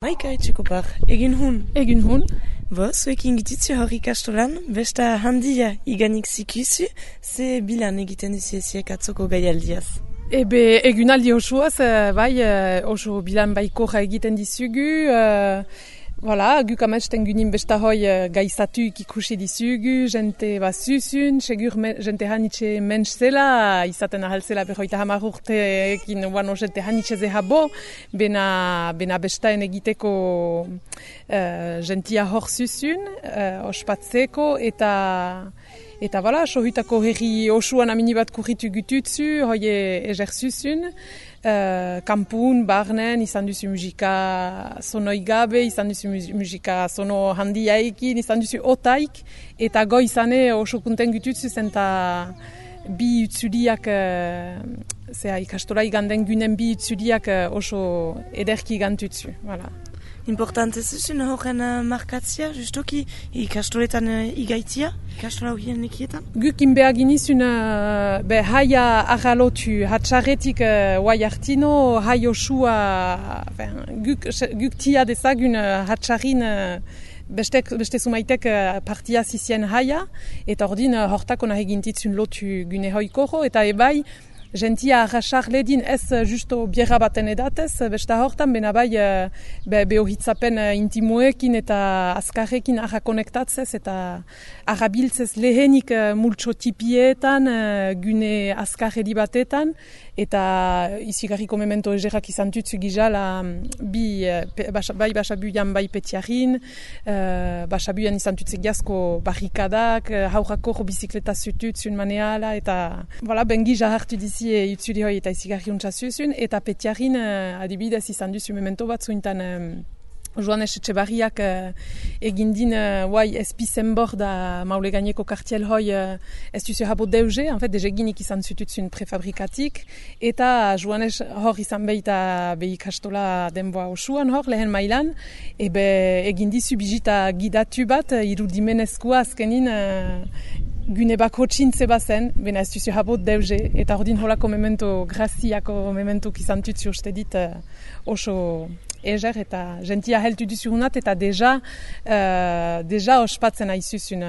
Maika etxekopar, egin hun. Egin hun. Bo, zuekin gititzu hor ikastolan, besta handia iganik zikuzu, ze bilan egiten duzu eziek atzoko gaialdiaz. Egunaldi osoaz, oso bilan baikoja egiten dizugu, guk amesten gunin besta hoi gaizatuik ikusi dizugu, jente zuzun, segur jente hanitxe mensch zela, izaten ahaltzela berroita hamar urteekin jente hanitxe zehabo, bena bestaen egiteko jentia hor zuzun, ospatzeko, eta sohutako herri osuan amini bat kurritu gututzu, hoi ezer zuzun, kampun, barnen, izan duzu musika sonoi gabe, izan duzu musika sono handiaikin, izan duzu otaik, eta goizane oso kunten gututzu zen eta bi utzuliak, ikastola iganden gunen bi utzuliak oso ederki gantutzu. Importante zuzun horren markatzia, justoki ikastoletan igaitzia, ikastola horien ekietan? Guk inbeak inizun haia arralotu, hatxarretik guai hartino, hai osua, guk tia dezagun hatxarrin beste zumaitek partia zizien haia, eta ordin hortako nahi gintitzun lotu gune hoikoro, eta ebai, jentia arrasar ledin ez justo biera baten edatez, besta hortan, bena bai behohitzapen intimoekin eta azkarrekin arra konektatzez eta arrabiltzez lehenik multso tipietan, gune azkarredi batetan, eta izigarriko memento egerak izan tutzu gizala bai basabuian bai petiarin, basabuian izan tutzu giazko barrikadak, haurako bizikleta zututzun maneala, eta ben giza hartu dizi itzuli hoi eta izigarri untsa zuzun, eta petiarin adibidez izan duzu memento bat zuintan Joanes Etxebarriak egindin espizen bor da maule gaineko kartiel hoi ez duzu habo deuze, en fait, dezeginik izan zututzun prefabrikatik, eta Joanes hor izan behita ikastola denboa osuan hor, lehen mailan, egindizu bizita gidatu bat, irudimenezkoa azkenin gune bako txintze bazen, bena ez duzu habo deuze, eta ordin holako memento, graziako memento izan tutzu uste dit oso eger, eta jentia heltu duzu hunat, eta deja ospatzen aizuzun,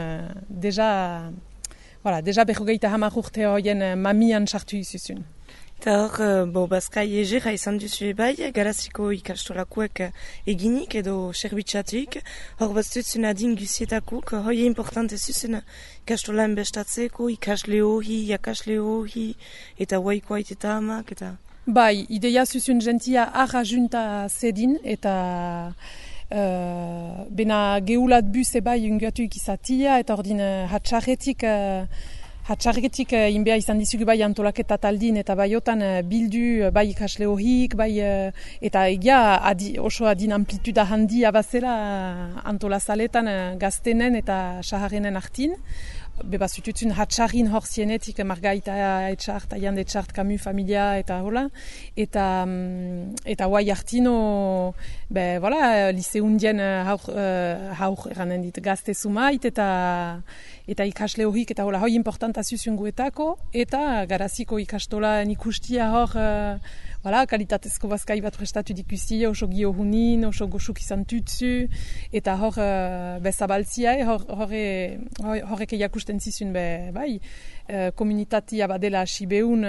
deja berrogeita hamar urte horien mamian sartu izuzun. Eta hor, bazkai egera izan duzu ebai, garaziko ikastolakuek eginik edo serbitxatuik, hor baztutzen adin guzietakuk, hoi importante zuzen ikastolan bestatzeko, ikasle hori, jakasle hori, eta huaikoait eta hamak, eta... Bai, ideia zuzun jentia arra junta zedin, eta bena geulat buse bai unguatuik izatia, eta ordin hatxarretik inbea izan dizugu bai antolaketa taldin, eta baiotan bildu bai ikasle horik, eta egia oso adin amplituda handia bazela antolazaletan gaztenen eta saharrenen hartin. Beba zututzun hatxarrin hor zienetik, Margaita etxart, Aiande etxart, Camus familia, eta hola. Eta guai hartino, liseundien haur eranen dit gazte zumait, eta ikasle horik, eta hola, hoi importanta zuzun guetako, eta garaziko ikastolan ikustia hor, kalitatezko bazkai bat prestatu dikusti, oso gio hunin, oso goxuk izan tutzu, eta hor bezabaltzia, horrek eakusten zizun komunitatea badela sibeun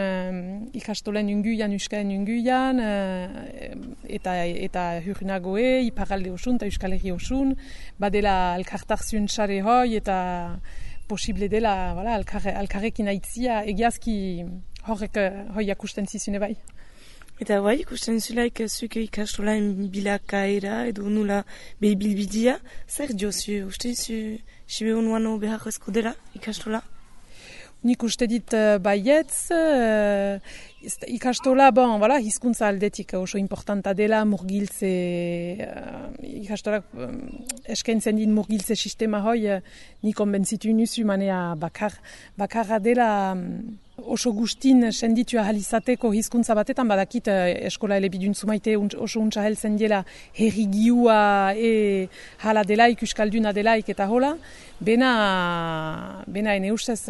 ikastolen unguian, euskalen unguian, eta hurnagoe, iparalde osun, eta euskal herri osun, badela elkartarzun sare hoi, eta posible dela alkarrekin aitzia, egiazki horrek hoi akusten zizune bai. Eta bai, ikusten zulaik zuke ikastolaen bilakaera edo nula behibilbidia, zer diozu, uste zu sibe honuano beharrezko dela ikastola? Nik uste dit baietz, ikastola, hizkuntza aldetik oso importanta dela, murgiltze, ikastolak eskaintzen dit murgiltze sistema hoi, nik onbentzitu nuzu manea bakarra dela, oso gustin senditua halizateko hizkuntza batetan, badakit eskola elebidun zumaite oso untsa heltzen dela herrigiua hala delaik, euskalduna delaik eta hola, bena ene ustez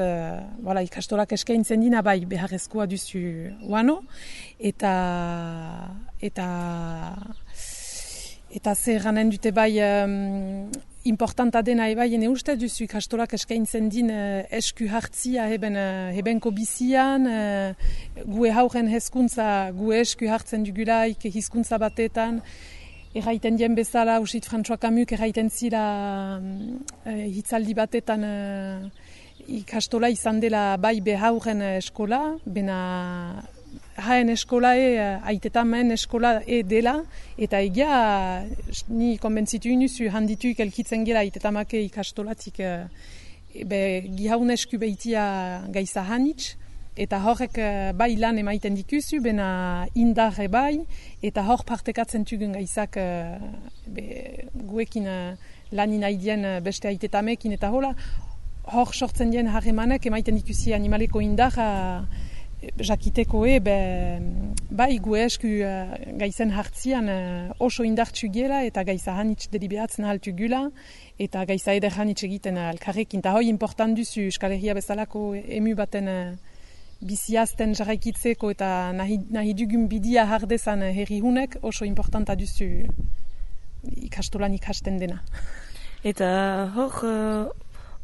ikastolak eskaintzen dina bai beharrezkoa duzu uano, eta Eta zer ganen dute bai importanta dena bai, ene uste duzu ikastolak eskaintzen din esku hartzia hebenko bizian, gue hauren hezkuntza, gue esku hartzen dugulaik hizkuntza batetan, erraiten dien bezala, usit François Camus erraiten zira hitzaldi batetan ikastola izan dela bai behauren eskola, bena haen eskola aitetamen eskola dela, eta egia ni konbentzitu inuzu handituik elkitzen gela aitetamake ikastolatik gihaun esku behitia gaiza hanitz, eta horrek bai lan emaiten dikuzu, bena indarre bai, eta hor partekatzen tugun gaizak guekin lanin haidien beste aitetamekin, eta hor sortzen dien harremanek emaiten dikuzi animaleko indarra, jakiteko bai gue esku gaizen hartzian oso indartsu gela eta gaiza hanitz deliberatzen haltu gula eta gaiza eder hanitz egiten alkarrekin. Eta hoi important duzu Euskal Herria bezalako emu baten biziazten jarraikitzeko eta nahi dugun bidia hardezan herri hunek oso importanta duzu ikastolan ikasten dena. Eta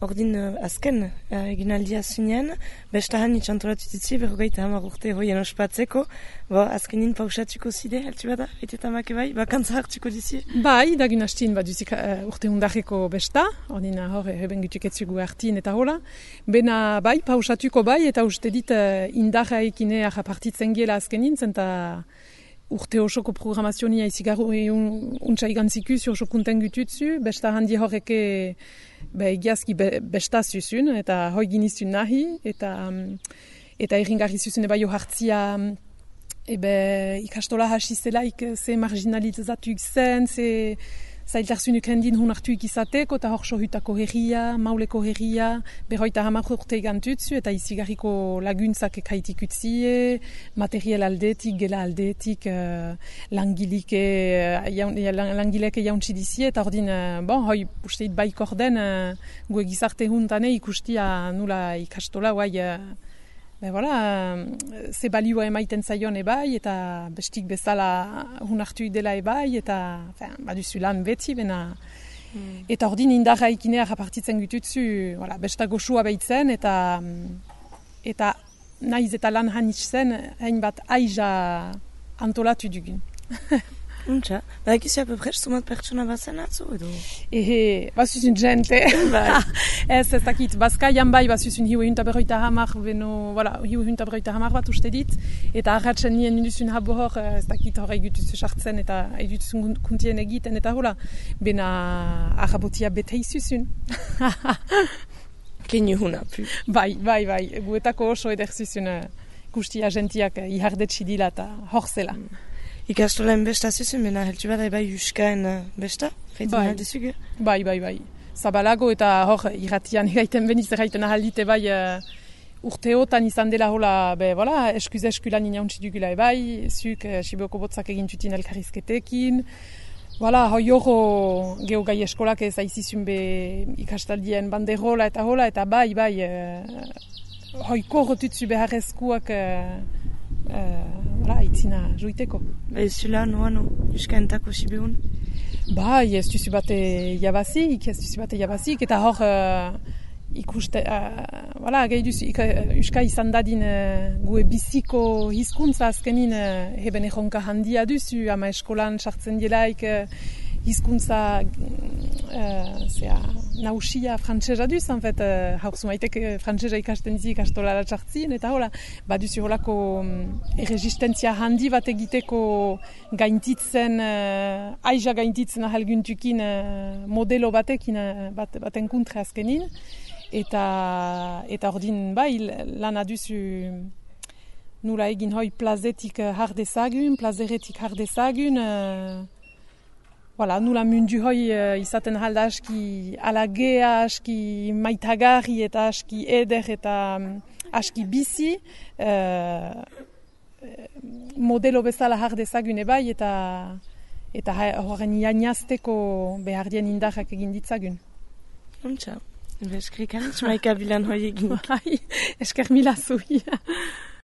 ordin azken eginaldia zinen, bestahan itxantolatu ditzi, 50 urte hoien ospatzeko, azkenin pausatuko zide, altu bada, etetamake bai, bakantza hartuko dizi? Bai, dagun hastin duzik urte hundarreko besta, ordin heben gutuketzugu hartin eta hola, bena bai, pausatuko bai, eta uste dit indarra ekine partitzen gela azkenin, zenta urte osoko programazionia izigarro untsa igantzikuz, oso kunten gututzu, besta handi horreke egiazki besta zuzun, eta hoi ginizun nahi, eta erringarri zuzun bai hartzia ikastola hasi zelaik ze marginalizatuk zen, ze zailtarzunuk hendin hun hartuik izateko, eta hor sohutako herria, mauleko herria, berroita 10 urte igantutzu, eta izigarriko laguntzak ekaitik utzie, material aldetik, gela aldetik, langileke jauntzi dizie, eta ordin, hoi usteit baik orden, gue gizarte huntane ikustia nula ikastola, ze balioa emaiten zaion ebai, eta bestik bezala hun hartu dela ebai, eta baduzu lan beti, bena. Eta ordin indarra ikinea japartitzen gututzu, besta goxua behitzen, eta nahiz eta lan hanitz zen, hainbat aiza antolatu dugun. Untxa, egizu apopres sumat pertsona bazen atzu edo? Bazuzun jente. Ez dakit, bazkaian bai, bazuzun hiu ehuntaberroita hamar bat uste dit, eta arratzen nien induzun habo hor, ez dakit hor egutuzu sartzen eta egutuzun kuntien egiten, eta hola, bena arrabotia bete izuzun. Kenu huna, pu. Bai, guetako oso ederzuzun guztia gentiak ihardetsi dila eta hor zela. Ikastolen besta zuzun, bena heltu bada bai Euskaen besta? Bai. Zabalago eta hor irratian egaiten beniz erraiten ahaldite bai urteotan izan dela hola, eskuz-eskulan inauntzi dugula bai, zuk Siboko botzak egintutin elkarrizketekin. Hoi horro geogai eskolak ez aizizun ikastaldien banderola eta hola, eta bai, hoi korrotutzu beharrezkuak itzina joiteko. Ez zula, noano, Euskaentako Sibehun? Bai, ez duzu bate jabazik, eta hor ikuste, gehi duzu, Euska izan dadin gue biziko hizkuntza azkenin heben erronka handia duzu, ama eskolan sartzen dielaik hizkuntza nausia frantsesa duz, haur zumaitek frantsesa ikasten dizi ikastolara txartzien, eta hola, baduzu holako erresistentzia handi bat egiteko gaintitzen, aiza gaintitzen ahalguntukin modelo batekin, baten kontra azkenin, eta ordin bai, lan aduzu nula egin hoi plazetik plazeretik hardezagun, nula mundu hoi izaten halda aski alagea, aski maitagarri eta aski eder eta aski bizi, modelo bezala hardezagun ebai eta horren jainazteko behar dien indarrak egin ditzagun. Untxa, eskrikan, maika bilan hoi egin. Esker mila zui.